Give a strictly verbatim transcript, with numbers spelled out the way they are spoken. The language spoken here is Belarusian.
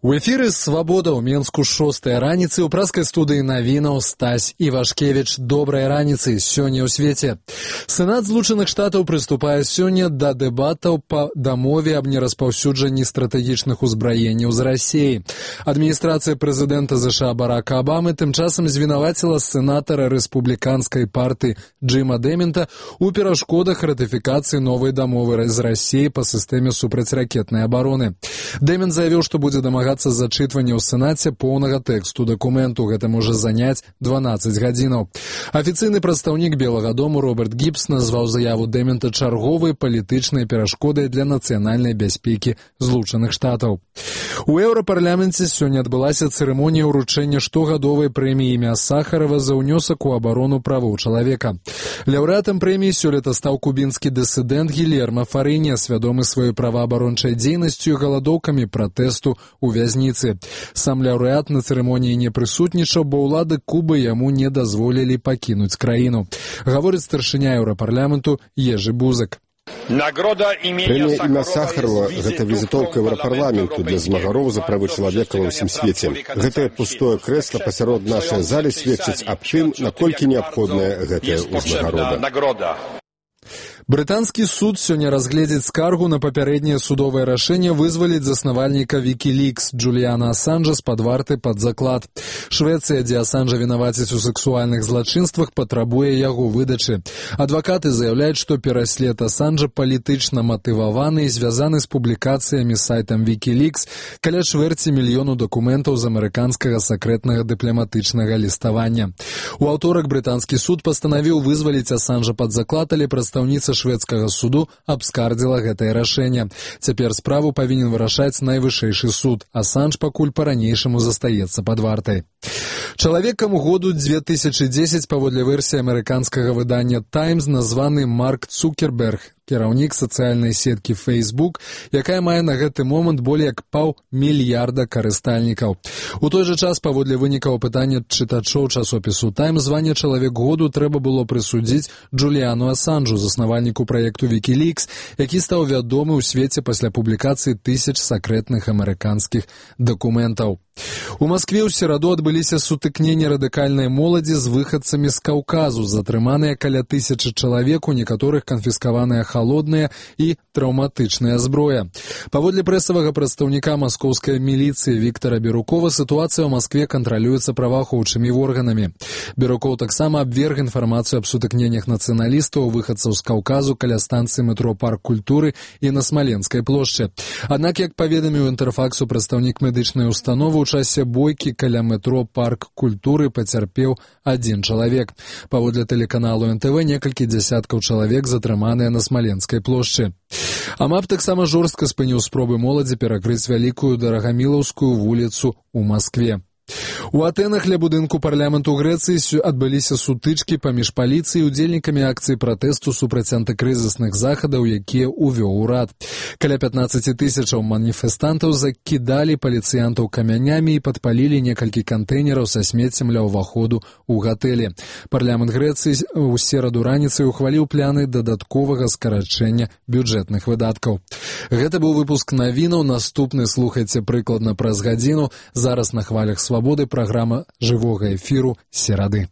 У эфіры «Свабода» ў Менску шостая раніцы ў праскай студыі навінаў Стась Івашкевіч. Добрай раніцы сёння ў свеце. Сенат Злучаных Штатаў прыступае сёння да дэбатаў па дамове аб нераспаўсюджанні стратэгічных узбраенняў з Расіі. Адміністрацыя прэзідэнта ЗША Барака Абамы тым часам звінаваціла сенатара рэспубліканскай партыі Джима Дэмента ў перашкодах ратыфікацыі новай дамовы з Расіяй па сістэме супрацьракетнай абароны. Дэмент заявіў, што будзе дамагацца зачытвання ў Сенаце поўнага тэксту дакументу. Гэта можа заняць дванаццаць гадзінаў. Афіцыйны прадстаўнік Белага дому Роберт Гібс назваў заяву Дэмента чарговай палітычнай перашкодай для нацыянальнай бяспекі Злучаных Штатаў. У еўрапарламенце сёння адбылася цырымонія ўручэння штогадовай прэміі імя Сахарова за ўнёсак у абарону правоў чалавека. Лаўрэатам прэміі сёлета стаў кубінскі дысідэнт Гильермо Фарыня, свядомы сваёй праваабарончай дзейнасцю і галадоўкамі пратэсту у вязніцы. Сам лаўрэат на цырымоніі не прысутнічаў, бо ўлады Кубы яму не дазволілі пакінуць краіну. Гаворыць старшыня еўрапарламенту Ежы Бузак. Прэмія імя Сахарова – гэта візітоўка еўрапарламенту для змагароў за правы чалавека ва ўсім свеце. Гэтае пустое крэсла пасярод нашай залі сведчыць аб тым, наколькі неабходная гэтая ўзнагарода. Брытанскі суд сёння разгледзіць скаргу на папярэдняе судовае рашэнне вызваліць заснавальніка Wikileaks Джуліяна Асанжа з-пад варты пад заклад. Швецыя, дзе Асанжа вінавацяць у сексуальных злачынствах, патрабуе яго выдачы. Адвакаты заяўляюць, што пераслед Асанжа палітычна матываваны і звязаны з публікацыямі сайтам Wikileaks каля чвэрці мільёну дакументаў з амерыканскага сакрэтнага дыпламатычнага ліставання. У аўторак брытанскі суд пастанавіў вызваліць Асанжа пад заклад, але прадстаўніца шведскага суду абскардзіла гэтае рашэнне. Цяпер справу павінен вырашаць найвышэйшы суд. Асанж пакуль па-ранейшаму застаецца пад вартай. Чалавекам году дзве тысячы дзесяць паводле версіі амерыканскага выдання «Таймс» названы Марк Цукерберг, кіраўнік сацыяльнай сеткі Facebook, якая мае на гэты момант болей як паўмільярда карыстальнікаў. У той жа час, паводле вынікаў апытання чытачоў часопісу «Таймс», званне «Чалавек году» трэба было прысудзіць Джуліяну Асанжу, заснавальніку праекту Wikileaks, які стаў вядомы ў свеце пасля публікацыі тысяч сакрэтных амерыканскіх дакументаў. У Маскве ў сераду адбыліся сутыкненні радыкальнай моладзі з выхадцамі з Каўказу. Затрыманыя каля тысячы чалавек, у некаторых канфіскаваная халодная і траўматычная зброя. Паводле прэсавага прадстаўніка маскоўскай міліцыі Віктара Берукова, сітуацыя ў Маскве кантралюецца праваахоўчымі органамі. Берукоў таксама абверг інфармацыю аб сутыкненнях нацыяналістаў, выхадцаў з Каўказу каля станцыі метро Парк культуры і на Смаленскай плошчы. Аднак, як паведаміў Інтэрфаксу прадстаўнік медычнай установы, у часе бойкі каля метро Парк культуры пацярпеў адзін чалавек. Паводле тэлеканалу эн тэ вэ, некалькі дзясяткаў чалавек затрыманыя на Смаленскай плошчы. АМАП таксама жорстка спыніў спробы моладзі перакрыць вялікую Дарагамілаўскую вуліцу ў Маскве. У Атэнах ля будынку парламенту Грэцыі адбыліся сутычкі паміж паліцыяй і удзельнікамі акцыі пратэсту супраць антыкрызісных захадаў, якія ўвёў урад. Каля пятнаццаць тысячаў маніфестантаў закідалі паліцыянтаў камянямі і падпалілі некалькі кантэйнераў са смеццем ля ўваходу ў гатэлі. Парламент Грэцыі ў сераду раніцай ухваліў пляны дадатковага скарачэння бюджэтных выдаткаў. Гэта быў выпуск навінаў. Наступны слухайце прыкладна праз гадзіну. Зараз на хвалях «Свабоды» праграма жывога эфіру серады.